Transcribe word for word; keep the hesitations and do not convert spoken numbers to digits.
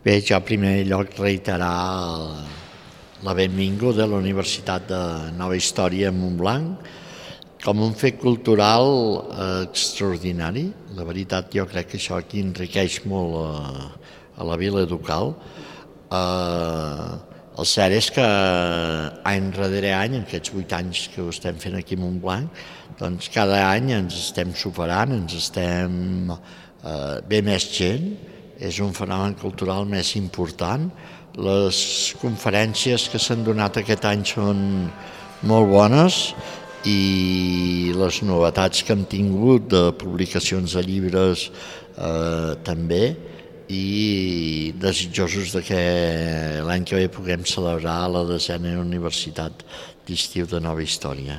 Bé, jo en primer lloc reiterar la benvinguda a la Universitat de Nova Història a Montblanc com un fet cultural eh, extraordinari. La veritat, jo crec que això aquí enriqueix molt a, a la vila ducal. Eh, el cert és que any darrere any, en aquests vuit anys que ho estem fent aquí a Montblanc, doncs cada any ens estem superant, ens estem... Eh, ve més gent, és un fenomen cultural més important. Les conferències que s'han donat aquest any són molt bones i les novetats que hem tingut de publicacions de llibres eh, també, i desitjosos de que l'any que ve puguem celebrar la desena Universitat d'Estiu de Nova Història.